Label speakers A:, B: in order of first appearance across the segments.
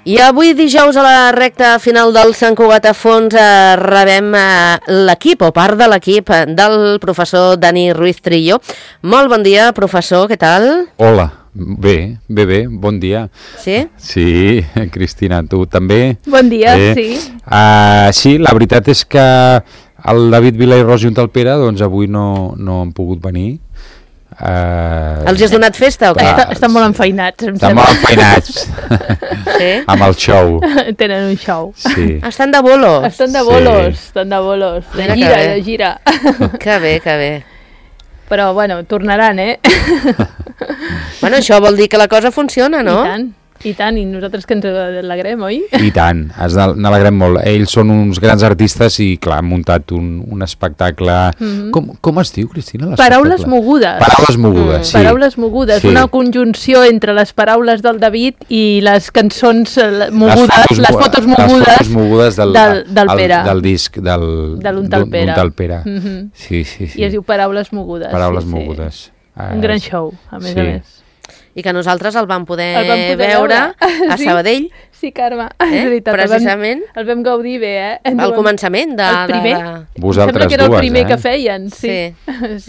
A: I avui dijous a la recta final del Sant Cugat a Fons rebem l'equip o part de l'equip del professor Dani Ruiz Trillo. Molt bon dia, professor, què tal?
B: Hola, bé, bon dia.
A: Sí?
B: Sí, Cristina, tu també?
C: Bon dia, sí.
B: Sí, la veritat és que el David Vila i Rosi Untalpera doncs avui no han pogut venir.
A: Els has donat festa o què?
C: Estan molt enfeinats, em
B: Estan
C: sembla.
B: molt enfeinats.
A: Sí?
B: Amb el show.
C: Tenen un show.
B: Sí.
A: Estan de bolos.
C: Estan de bolos, estan de bolos.
A: Mira
C: De
A: que
C: gira,
A: bé.
C: de gira.
A: Que bé, que bé.
C: Però, bueno, tornaran, eh?
A: Bueno, això vol dir que la cosa funciona, no?
C: I tant, i nosaltres que ens alegrem, oi?
B: I tant, n'alegrem molt. Ells són uns grans artistes i, clar, han muntat un espectacle... Com es diu, Cristina?
C: Paraules mogudes.
B: Paraules mogudes, sí.
C: Paraules mogudes,
B: Sí.
C: una conjunció entre les paraules del David i les cançons mogudes, les fotos mogudes del Pere.
B: Del disc
C: de
B: l'Untalpera. Sí.
C: I es diu Paraules mogudes.
B: Paraules
C: sí.
B: mogudes.
C: Un gran show, a més a més.
A: I que nosaltres el vam poder,
C: veure
A: a Sabadell.
C: Sí, Carme, és veritat.
A: Precisament.
C: El vam gaudir bé, eh?
A: Al començament de...
C: El primer.
B: Vosaltres
C: Em sembla que era el
B: dues,
C: primer
B: eh?
C: que feien, sí.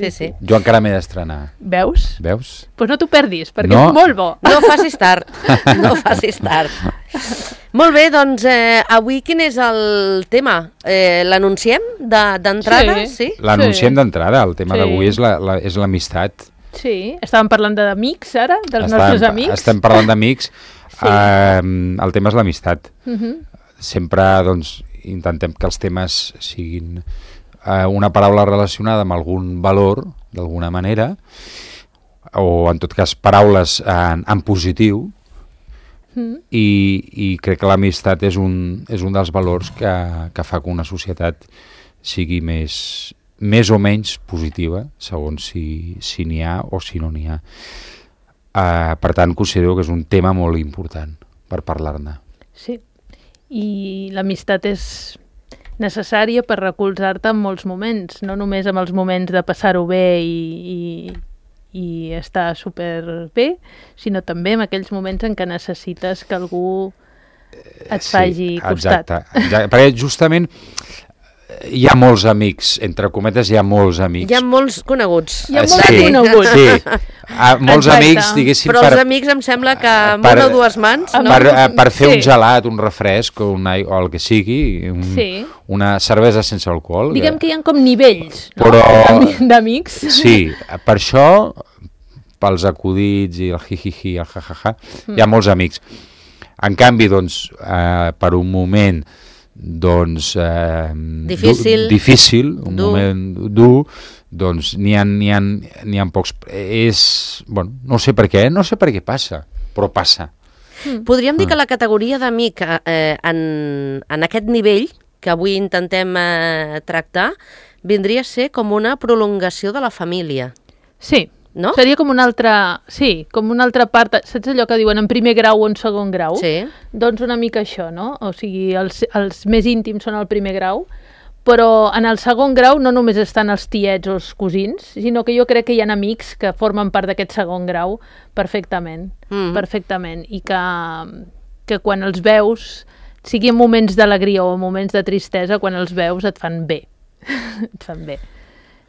A: Sí.
B: Jo encara m'he d'estrenar.
C: Veus?
B: Veus?
C: Pues no t'ho perdis, perquè
B: No.
C: és molt bo.
A: No facis tard, no facis tard. Molt bé, doncs avui quin és el tema? L'anunciem d'entrada? Sí.
B: L'anunciem d'entrada, el tema
C: Sí.
B: d'avui és l'amistat.
C: Sí, estàvem parlant d'amics ara, dels nostres amics.
B: Estem parlant d'amics. El tema és l'amistat. Sempre doncs, intentem que els temes siguin una paraula relacionada amb algun valor, d'alguna manera, o en tot cas paraules en positiu, i crec que l'amistat és un dels valors que fa que una societat sigui més o menys positiva, segons si n'hi ha o si no n'hi ha. Per tant, considero que és un tema molt important per parlar-ne.
C: Sí, i l'amistat és necessària per recolzar-te en molts moments, no només en els moments de passar-ho bé i estar superbé, sinó també en aquells moments en què necessites que algú et faci costat.
B: Exacte, perquè justament hi ha molts amics, entre cometes hi ha molts amics.
A: Hi ha molts coneguts.
C: Hi ha molts coneguts.
B: Sí, molts
C: Exacte.
B: amics, diguéssim,
A: Però els amics em sembla que amb una o dues mans, no?
B: per fer un
C: Sí.
B: gelat, un refresc o el que sigui,
C: Sí.
B: una cervesa sense alcohol.
C: Diguem que hi ha com nivells, no?
B: Però-
C: D'amics.
B: Sí, per això, pels acudits i el hi-hi-hi, el ha-ha-ha, hi ha molts amics. En canvi, doncs, per un moment difícil, un moment dur, doncs n'hi ha pocs. Bueno, no sé per què passa, però passa.
A: Podríem dir que la categoria d'amic en aquest nivell que avui intentem tractar vindria a ser com una prolongació de la família.
C: Sí,
A: no?
C: Seria com una altra... Sí, com una altra part... Saps allò que diuen en primer grau o en segon grau?
A: Sí.
C: Doncs una mica això, no? O sigui, els més íntims són al primer grau, però en el segon grau no només estan els tiets o els cosins, sinó que jo crec que hi ha amics que formen part d'aquest segon grau perfectament, perfectament, i que quan els veus, sigui en moments d'alegria o en moments de tristesa, quan els veus et fan bé. Et fan bé.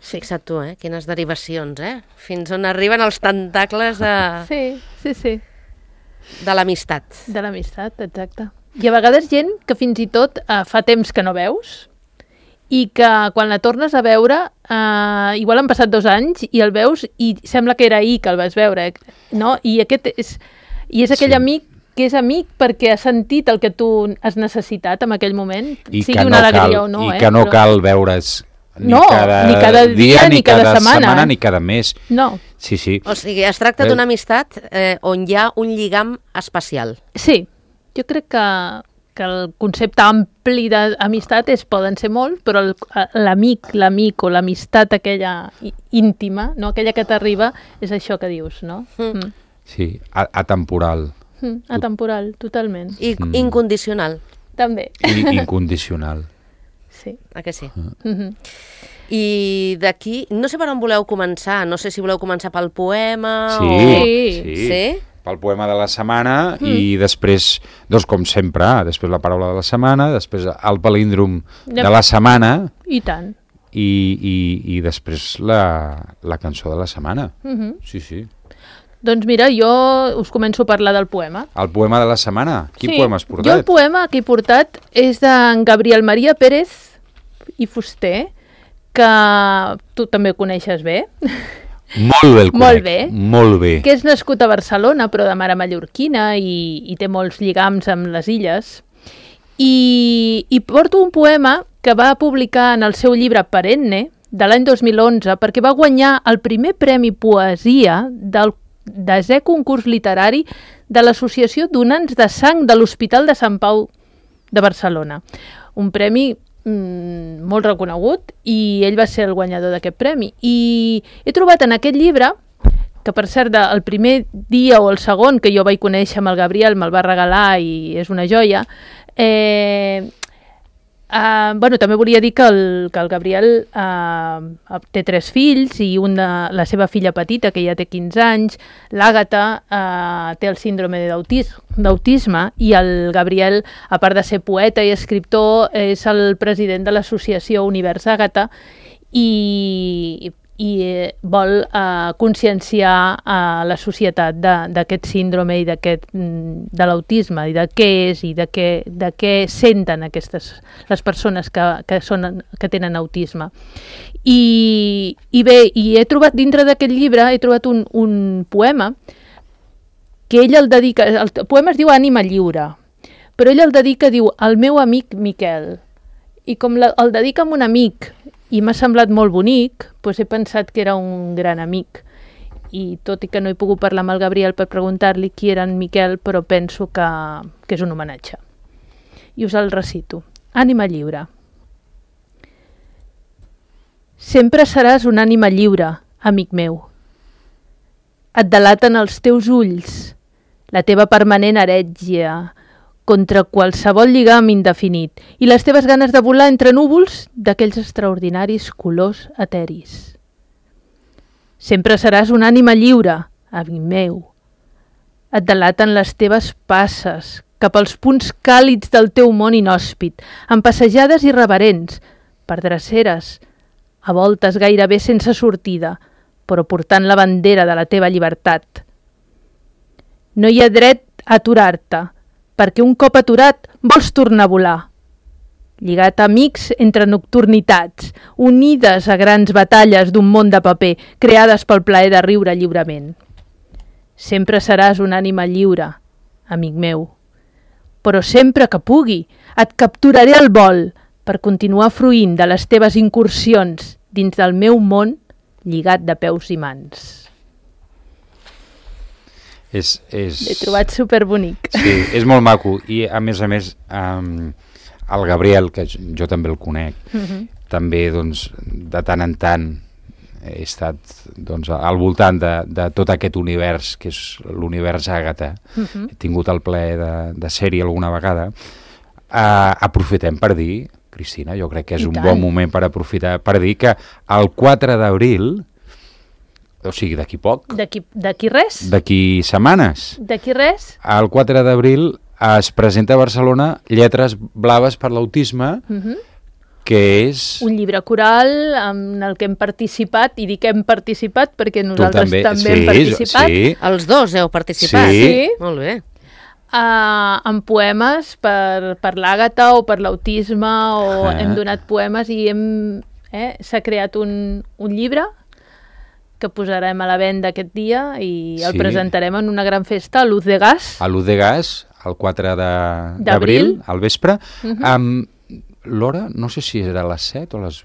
A: Sí. Fixa't tu, quines derivacions, Fins on arriben els tentacles de l'amistat.
C: De l'amistat, exacte. I a vegades gent que fins i tot fa temps que no veus i que quan la tornes a veure, igual han passat 2 anys i el veus i sembla que era ahir que el vas veure, no? I és aquell amic que és amic perquè ha sentit el que tu has necessitat en aquell moment, sigui una alegria o no.
B: I que no cal veure's ni
C: cada dia, ni cada setmana,
B: ni cada mes.
C: No.
B: Sí.
A: O sigui, es tracta d'una amistat on hi ha un lligam especial.
C: Sí, jo crec que el concepte ampli d'amistat poden ser molt, però l'amic o l'amistat aquella íntima, no? Aquella que t'arriba, és això que dius, no?
B: Sí, atemporal.
C: Atemporal, totalment.
A: I incondicional.
C: També.
B: I incondicional.
C: Sí.
A: Que sí? I d'aquí, no sé per on voleu començar, no sé si voleu començar pel poema
B: Sí.
A: Sí?
B: pel poema de la setmana i després, doncs com sempre, després la paraula de la setmana, després el palíndrom de la setmana
C: I tant.
B: i després la cançó de la setmana. Sí, sí.
C: Doncs mira, jo us començo a parlar del poema.
B: El poema de la setmana? Quin poema has portat?
C: Jo el poema que he portat és d'en Gabriel Maria Pérez i Fuster, que tu també coneixes bé.
B: Molt bé el conec. Molt bé.
C: Que és nascut a Barcelona, però de mare mallorquina i té molts lligams amb les illes. I porto un poema que va publicar en el seu llibre Perenne, de l'any 2011, perquè va guanyar el primer premi poesia del 10è concurs literari de l'Associació Donants de Sang de l'Hospital de Sant Pau de Barcelona. Un premi molt reconegut i ell va ser el guanyador d'aquest premi. I he trobat en aquest llibre, que per cert el primer dia o el segon que jo vaig conèixer amb el Gabriel me'l va regalar i és una joia, també volia dir que el Gabriel té 3 fills i la seva filla petita, que ja té 15 anys, l'Àgata, té el síndrome d'autisme i el Gabriel, a part de ser poeta i escriptor, és el president de l'associació Univers Àgata i vol conscienciar a la societat d'aquest síndrome i de l'autisme i de què és i de què senten les persones que tenen autisme. I he trobat dintre d'aquest llibre un poema que ell el dedica, el poema es diu Ànima lliure, però ell el dedica, diu, al meu amic Miquel, i com el dedica a un amic i m'ha semblat molt bonic, doncs he pensat que era un gran amic. I tot i que no he pogut parlar amb el Gabriel per preguntar-li qui era en Miquel, però penso que és un homenatge. I us el recito. Ànima lliure. Sempre seràs una ànima lliure, amic meu. Et delaten els teus ulls, la teva permanent herègia, contra qualsevol lligam indefinit, i les teves ganes de volar entre núvols d'aquells extraordinaris colors eteris. Sempre seràs una ànima lliure, amic meu. Et delaten les teves passes cap als punts càlids del teu món inhòspit, amb passejades irreverents, per dreceres, a voltes gairebé sense sortida, però portant la bandera de la teva llibertat. No hi ha dret a aturar-te, perquè un cop aturat vols tornar a volar. Lligat a amics entre nocturnitats, unides a grans batalles d'un món de paper, creades pel plaer de riure lliurement. Sempre seràs una ànima lliure, amic meu. Però sempre que pugui, et capturaré al vol per continuar fruint de les teves incursions dins del meu món lligat de peus i mans. L'he trobat superbonic.
B: Sí, és molt maco. I a més, el Gabriel, que jo també el conec, també doncs, de tant en tant he estat doncs, al voltant de tot aquest univers, que és l'univers Àgata. He tingut el plaer de ser-hi alguna vegada. Aprofitem per dir, Cristina, jo crec que és un bon moment per aprofitar, per dir que el 4 d'abril, o sigui, d'aquí poc.
C: D'aquí res.
B: D'aquí setmanes.
C: D'aquí res.
B: El 4 d'abril es presenta a Barcelona Lletres Blaves per l'Autisme, que és...
C: un llibre coral en el que hem participat, i dic que hem participat perquè nosaltres també hem participat.
B: Sí.
A: Els dos heu participat?
C: Sí.
A: Molt bé.
C: Amb poemes per l'Àgata o per l'autisme, hem donat poemes i s'ha creat un llibre que posarem a la venda aquest dia i el presentarem en una gran festa a Luz de Gas.
B: A Luz de Gas, el 4 d'abril, al vespre. L'hora, no sé si era a les 7 o a les...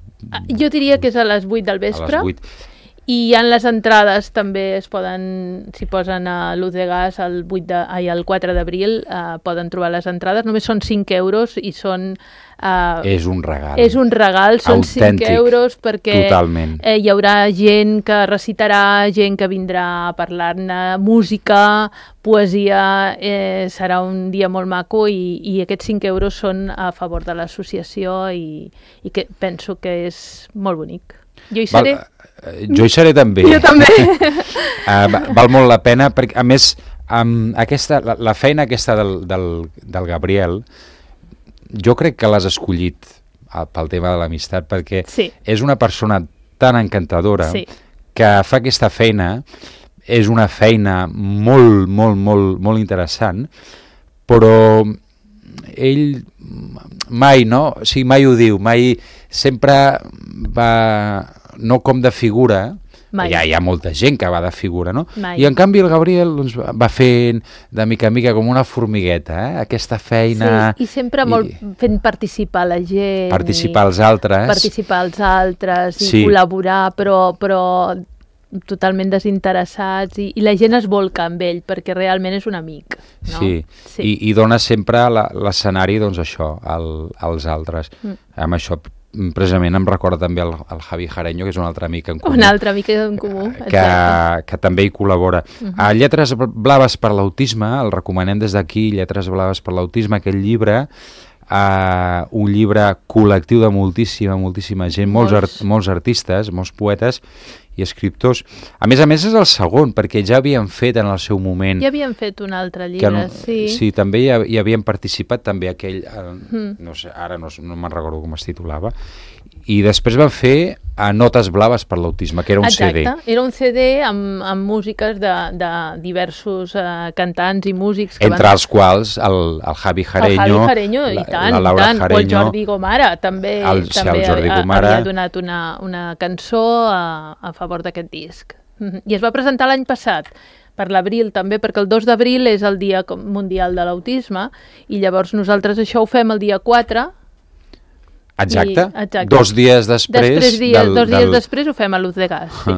C: Jo diria que és a les 8 del vespre.
B: A les 8.
C: I hi ha les entrades, també s'hi posen a Luz de Gas el 4 d'abril, poden trobar les entrades, només són 5 euros i són...
B: és un regal.
C: És un regal, són
B: autèntic,
C: 5 euros perquè
B: totalment.
C: Hi haurà gent que recitarà, gent que vindrà a parlar-ne, música, poesia, serà un dia molt maco i aquests 5 euros són a favor de l'associació i que penso que és molt bonic. Jo hi seré.
B: Jo hi seré també.
C: Jo també.
B: Val molt la pena, perquè a més La feina aquesta del Gabriel, jo crec que l'has escollit pel tema de l'amistat, perquè és una persona tan encantadora que fa aquesta feina, és una feina molt, molt, molt, molt interessant, però ell mai, no? O sigui, mai ho diu, mai sempre va, no com de figura, hi ha molta gent que va de figura, no? I en canvi el Gabriel doncs, va fent de mica en mica com una formigueta, aquesta feina...
C: Sí, i sempre fent participar la gent.
B: Participar els altres.
C: I col·laborar, però totalment desinteressats, i la gent es volca amb ell, perquè realment és un amic. No?
B: Sí. I dona sempre l'escenari, doncs això, als altres. Amb això precisament em recorda també el Javi Jareño, que és un altre amic en comú.
C: Un altre amic en comú,
B: que també hi col·labora. A Lletres Blaves per l'Autisme, el recomanem des d'aquí, Lletres Blaves per l'Autisme, aquest llibre, un llibre col·lectiu de moltíssima gent, molts artistes, molts poetes i escriptors. A més, és el segon, perquè ja havien fet en el seu moment...
C: Ja havien fet un altre llibre, sí.
B: Sí, també hi havien participat, també aquell... No sé, ara no me'n recordo com es titulava. I després van fer Notes Blaves per l'Autisme, que era un CD.
C: Exacte, era un CD amb músiques de diversos cantants i músics.
B: Entre els quals el Javi Jareño,
C: la Laura Jareño, o el Jordi Gomara, també havia donat una cançó a favor d'aquest disc. I es va presentar l'any passat, per l'abril també, perquè el 2 d'abril és el Dia Mundial de l'Autisme, i llavors nosaltres això ho fem el dia 4.
B: Exacte. 2 dies després...
C: Dos dies després ho fem a Luz de Gas, sí.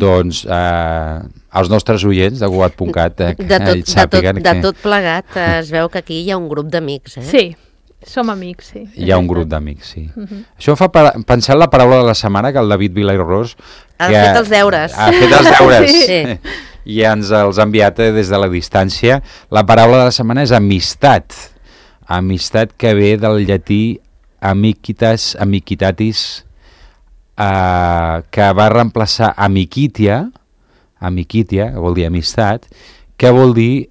B: Doncs els nostres oients de Cugat.cat
A: de tot plegat es veu que aquí hi ha un grup d'amics,
C: Sí, som amics, sí.
B: Hi ha un grup d'amics, sí. Això em fa pensar en la paraula de la setmana, que el David Vilairós
A: ha fet els deures.
B: Ha fet els deures. Sí. I ens els ha enviat des de la distància. La paraula de la setmana és amistat. Amistat, que ve del llatí amicitatis, que va reemplaçar amicitia, vol dir amistat, que vol dir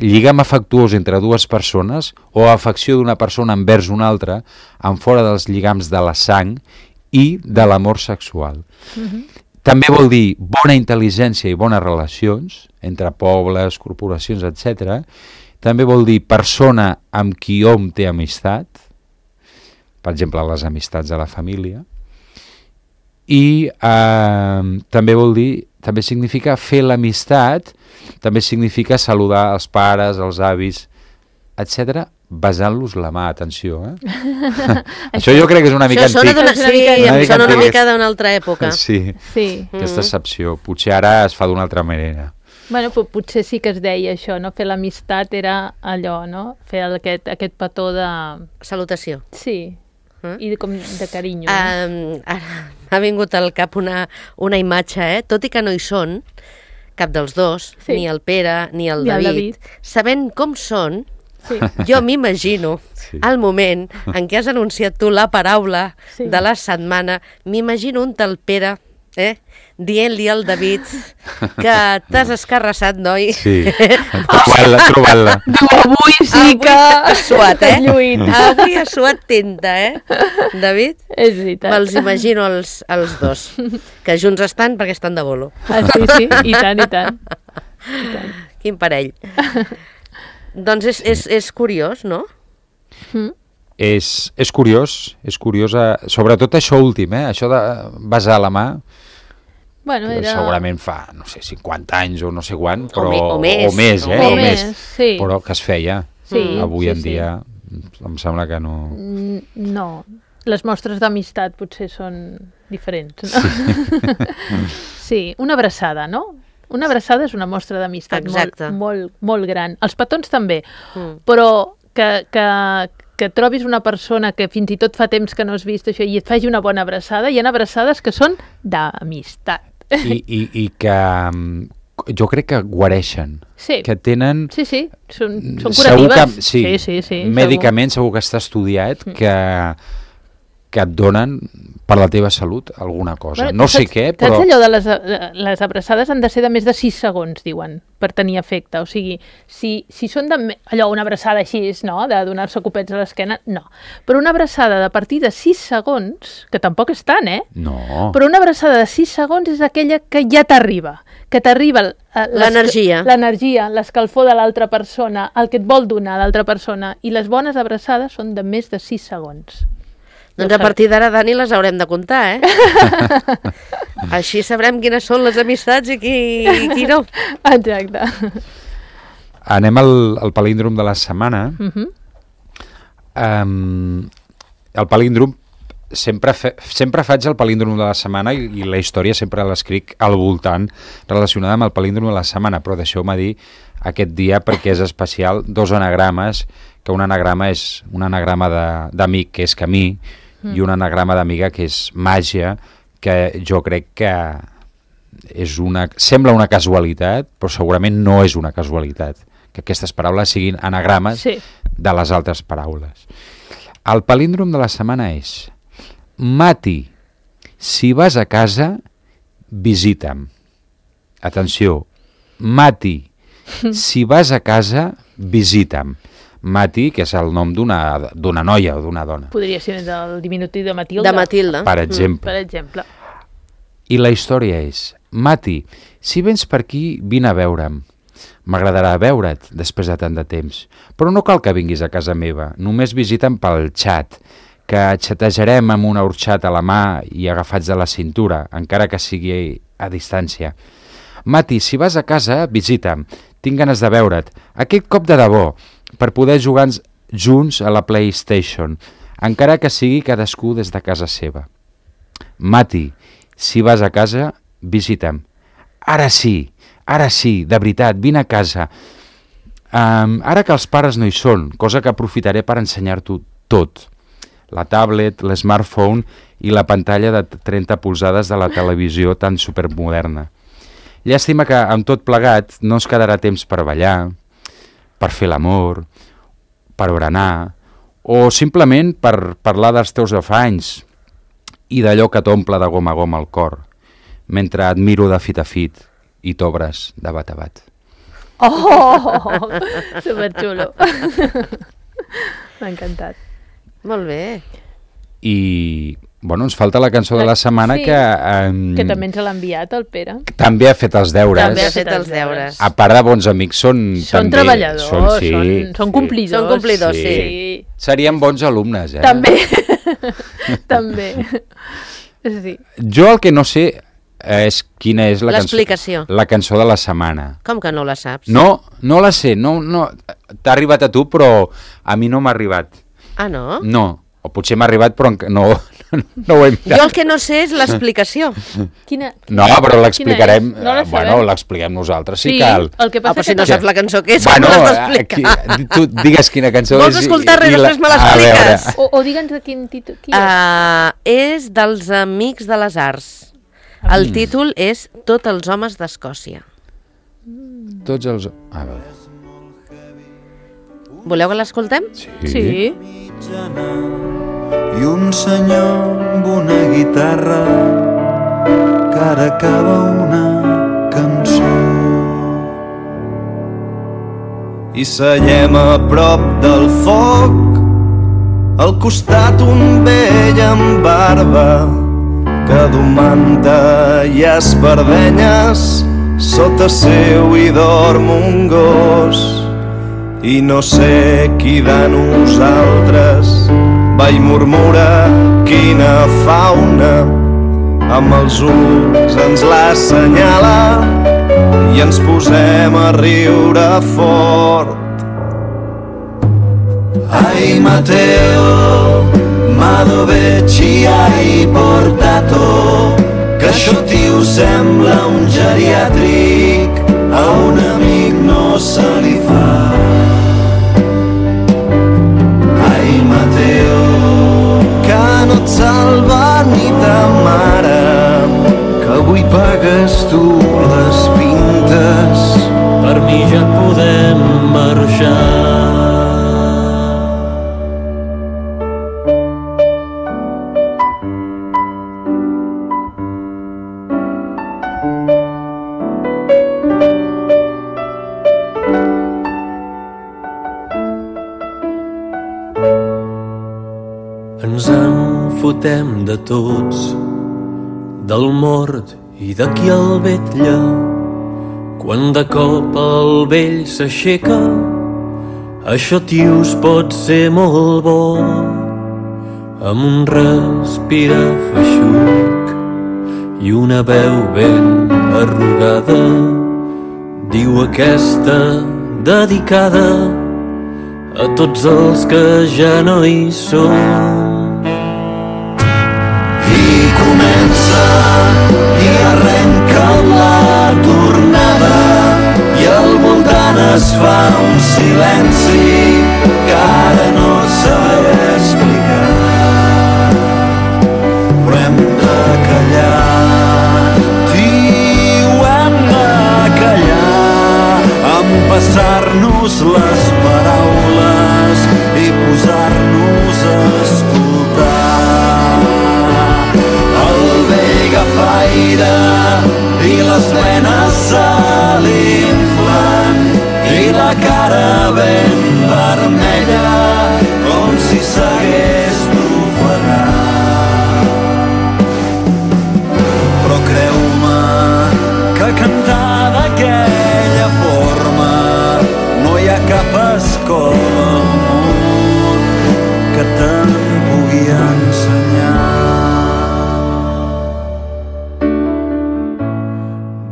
B: lligam afectuós entre dues persones o afecció d'una persona envers una altra en fora dels lligams de la sang i de l'amor sexual. També vol dir bona intel·ligència i bones relacions entre pobles, corporacions, etc. També vol dir persona amb qui hom té amistat, per exemple, les amistats de la família, i també vol dir, també significa fer l'amistat, també significa saludar els pares, els avis, etc., besant-los la mà, atenció, Això jo crec que és una mica antic.
A: Em sona una mica d'una altra època.
B: Sí, aquesta excepció. Potser ara es fa d'una altra manera.
C: Bueno, potser sí que es deia això, no? Fer l'amistat era allò, no? Fer aquest petó de...
A: Salutació.
C: Sí. I com de carinyo.
A: M'ha vingut al cap una imatge, tot i que no hi són, cap dels dos, ni el Pere ni el David, sabent com són, jo m'imagino el moment en què has anunciat tu la paraula de la setmana, m'imagino un tal Pere dient-li al David que t'has escarrassat, noi.
B: Sí, trobant-la.
C: Avui sí que...
A: has suat, Avui has suat tinta, David?
C: És veritat.
A: Me'ls imagino els dos, que junts estan perquè estan de bolo.
C: Sí, i tant.
A: Quin parell. Doncs és curiós, no?
B: És curiós, sobretot això últim, això de besar la mà, que segurament fa, no sé, 50 anys o no sé quant, però, o més,
C: sí.
B: Però que es feia. Avui en dia em sembla que no...
C: No, les mostres d'amistat potser són diferents, no? Sí, una abraçada, no? Una abraçada és una mostra d'amistat molt, molt gran. Els petons també, però que trobis una persona que fins i tot fa temps que no has vist això i et faci una bona abraçada, hi ha abraçades que són d'amistat.
B: I que jo crec que guareixen, que tenen...
C: Sí, són curatives.
B: Sí, mèdicament segur que està estudiat que que et donen per la teva salut alguna cosa. No sé què, però...
C: Saps allò de les abraçades han de ser de més de 6 segons, diuen, per tenir efecte. O sigui, si són allò, una abraçada així, no?, de donar-se copets a l'esquena, no. Però una abraçada de partir de 6 segons, que tampoc és tant,
B: No.
C: Però una abraçada de 6 segons és aquella que ja t'arriba, que t'arriba
A: l'energia,
C: l'escalfor de l'altra persona, el que et vol donar l'altra persona, i les bones abraçades són de més de 6 segons.
A: Doncs a partir d'ara, Dani, les haurem de comptar, Així sabrem quines són les amistats i qui no.
C: Exacte.
B: Anem al palíndrom de la setmana. El palíndrom, sempre faig el palíndrom de la setmana i la història sempre l'escric al voltant relacionada amb el palíndrom de la setmana, però deixeu-me dir aquest dia perquè és especial 2 anagrames, que un anagrama és un anagrama d'amic, que és camí, i un anagrama d'amiga, que és màgia, que jo crec que sembla una casualitat, però segurament no és una casualitat, que aquestes paraules siguin anagrames de les altres paraules. El palíndrom de la setmana és: Mati, si vas a casa, visita'm. Atenció, Mati, si vas a casa, visita'm. Mati, que és el nom d'una noia o d'una dona.
C: Podria ser del diminutiu de Matilda.
A: De Matilda.
B: Per exemple.
C: Per exemple.
B: I la història és: Mati, si vens per aquí, vine a veure'm. M'agradarà veure't després de tant de temps, però no cal que vinguis a casa meva, només visita'm pel xat, que xatejarem amb una orxat a la mà i agafats de la cintura, encara que sigui a distància. Mati, si vas a casa, visita'm. Tinc ganes de veure't. Aquest cop de debò, per poder jugar junts a la PlayStation, encara que sigui cadascú des de casa seva. Mati, si vas a casa, visita'm. Ara sí, de veritat, vine a casa. Ara que els pares no hi són, cosa que aprofitaré per ensenyar-t'ho tot. La tablet, l'smartphone i la pantalla de 30 polzades de la televisió tan supermoderna. Llàstima que amb tot plegat no ens quedarà temps per ballar, per fer l'amor, per berenar, o simplement per parlar dels teus afanys i d'allò que t'omple de gom a gom el cor, mentre et miro de fit a fit i t'obres de bat a bat.
C: Oh, superxulo. M'ha encantat.
A: Molt bé.
B: I, bueno, ens falta la cançó de la setmana
C: sí, que també ens l'ha enviat el Pere.
B: També ha fet els deures.
A: També ha fet els deures.
B: A part de bons amics, són també,
C: treballadors, són complidors.
A: Són complidors, sí.
B: Serien bons alumnes,
C: També. També. Sí.
B: Jo el que no sé és quina és
A: l'explicació.
B: La cançó de la setmana.
A: Com que no la saps?
B: No la sé. No, t'ha arribat a tu, però a mi no m'ha arribat.
A: Ah, no?
B: No. O potser m'ha arribat, però no ho he mirat.
A: Jo el que no sé és l'explicació.
B: No, però l'explicarem...
C: No
B: bueno, l'expliquem nosaltres, si cal.
C: El que passa
A: però si no saps la cançó que és,
B: bueno,
A: com l'has d'explicar?
B: Tu digues quina cançó és...
A: Vols escoltar-la i després me l'expliques?
C: O digue'ns de quin títol...
A: És dels Amics de les Arts. El títol és Tots els homes d'Escòcia.
B: Tots els... A veure...
A: Voleu que l'escoltem?
C: Sí.
D: I un senyor amb una guitarra que ara acaba una cançó. I seiem a prop del foc, al costat un vell amb barba que du manta i espardenyes, sota seu hi dorm un gos. I no sé qui de nosaltres va i murmura quina fauna, amb els ulls ens l'assenyala i ens posem a riure fort. Ai Matteo, ma dove ci hai portato? Que això tio sembla un geriàtric, a un amic no se li fa. No et salva ni ta mare, que avui pagues tu les pintes. Per mi ja et podem marxar. fotem de tots, del mort i de qui el vetlla. Quan de cop el vell s'aixeca, això, tios, pot ser molt bo. Amb un respira feixuc i una veu ben arrugada diu aquesta dedicada a tots els que ja no hi són. I comença i arrenca la tornada i al voltant es fa un silenci que ara no sabré explicar, però hem de callar, tio, hem de callar, empassar-nos les paraules i posar-nos a escoltar. El vell agafaire i les venes se l'inflen i la cara ben vermella com si s'hagués d'ofegar. Però creu-me que cantar d'aquella forma no hi ha cap escola al món que te'n pugui ensenyar.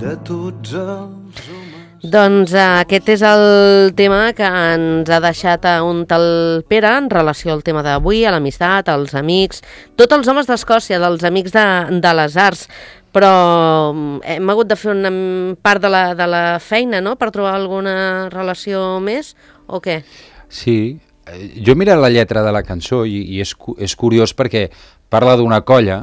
D: De tots els homes...
A: Doncs aquest és el tema que ens ha deixat un tal Pere en relació al tema d'avui, a l'amistat, als amics, tots els homes d'Escòcia, dels amics de les arts, però hem hagut de fer una part de la feina, no?, per trobar alguna relació més, o què?
B: Sí, jo he mirat la lletra de la cançó i és curiós perquè parla d'una colla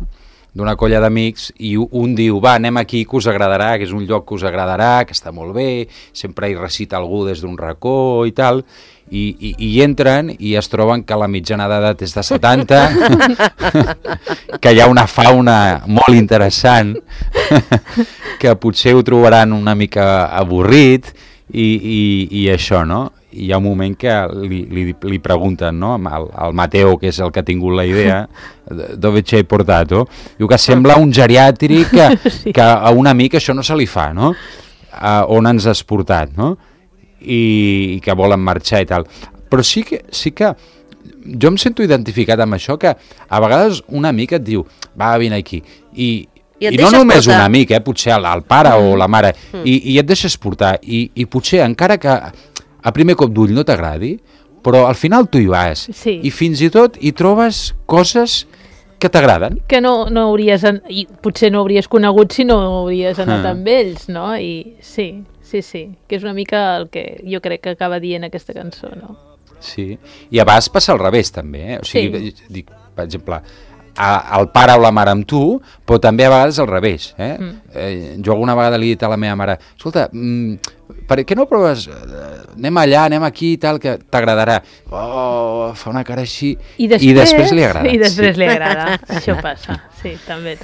B: d'amics i un diu, va, anem aquí que us agradarà, que és un lloc que us agradarà, que està molt bé, sempre hi recita algú des d'un racó i tal, i entren i es troben que la mitjana d'edat és de 70, que hi ha una fauna molt interessant, que potser ho trobaran una mica avorrit i això, no? Hi ha un moment que li pregunten, no?, al Mateo, que és el que ha tingut la idea, dove ci hai portato? Diu que sembla un geriàtric que a un amic això no se li fa, no? On ens has portat, no? I que volen marxar i tal. Però sí que jo em sento identificat amb això, que a vegades un amic et diu, va, vine aquí, i no només un amic, potser el pare o la mare, i et deixes portar, i potser encara que a primer cop d'ull no t'agradi, però al final tu hi vas, i fins i tot hi trobes coses que t'agraden.
C: Que no hauries, i potser no hauries conegut si no hauries anat amb ells, no? I sí, que és una mica el que jo crec que acaba dient aquesta cançó, no?
B: Sí, i a vegades passa al revés també, O sigui, dic, per exemple, el pare o la mare amb tu, però també a vegades al revés. Jo alguna vegada li he dit a la meva mare, escolta, per què no proves, anem allà, anem aquí i tal, que t'agradarà. Oh, fa una cara així i després li agrada.
C: I després li agrada, això passa, sí, també.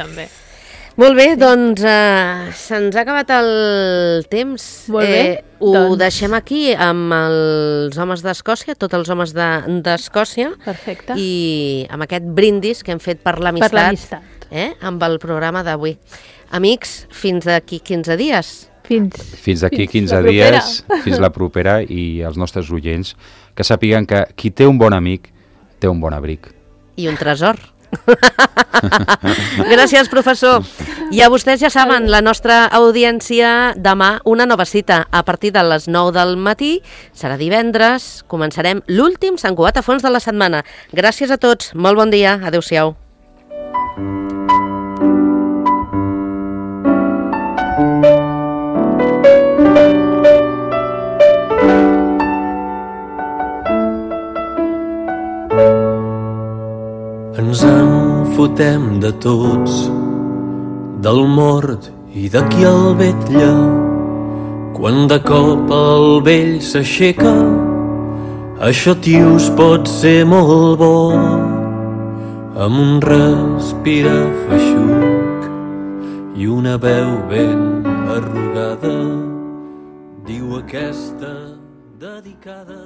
A: Molt bé, doncs se'ns ha acabat el temps.
C: Molt bé.
A: Ho deixem aquí amb els homes d'Escòcia, tots els homes d'Escòcia.
C: Perfecte.
A: I amb aquest brindis que hem fet per l'amistat. Amb el programa d'avui. Amics, fins d'aquí 15 dies.
B: Fins d'aquí 15 dies, fins la propera, i els nostres oients que sàpiguen que qui té un bon amic té un bon abric.
A: I un tresor. Gràcies, professor. I a vostès ja saben, la nostra audiència demà una nova cita a partir de les 9 del matí, serà divendres, començarem l'últim Sant Cugat a fons de la setmana. Gràcies a tots, molt bon dia, adeu-siau.
D: Ens en fotem de tots, del mort i de qui el vetlla. Quan de cop el vell s'aixeca, això, tios, pot ser molt bo. Amb un respira feixuc i una veu ben arrugada diu aquesta dedicada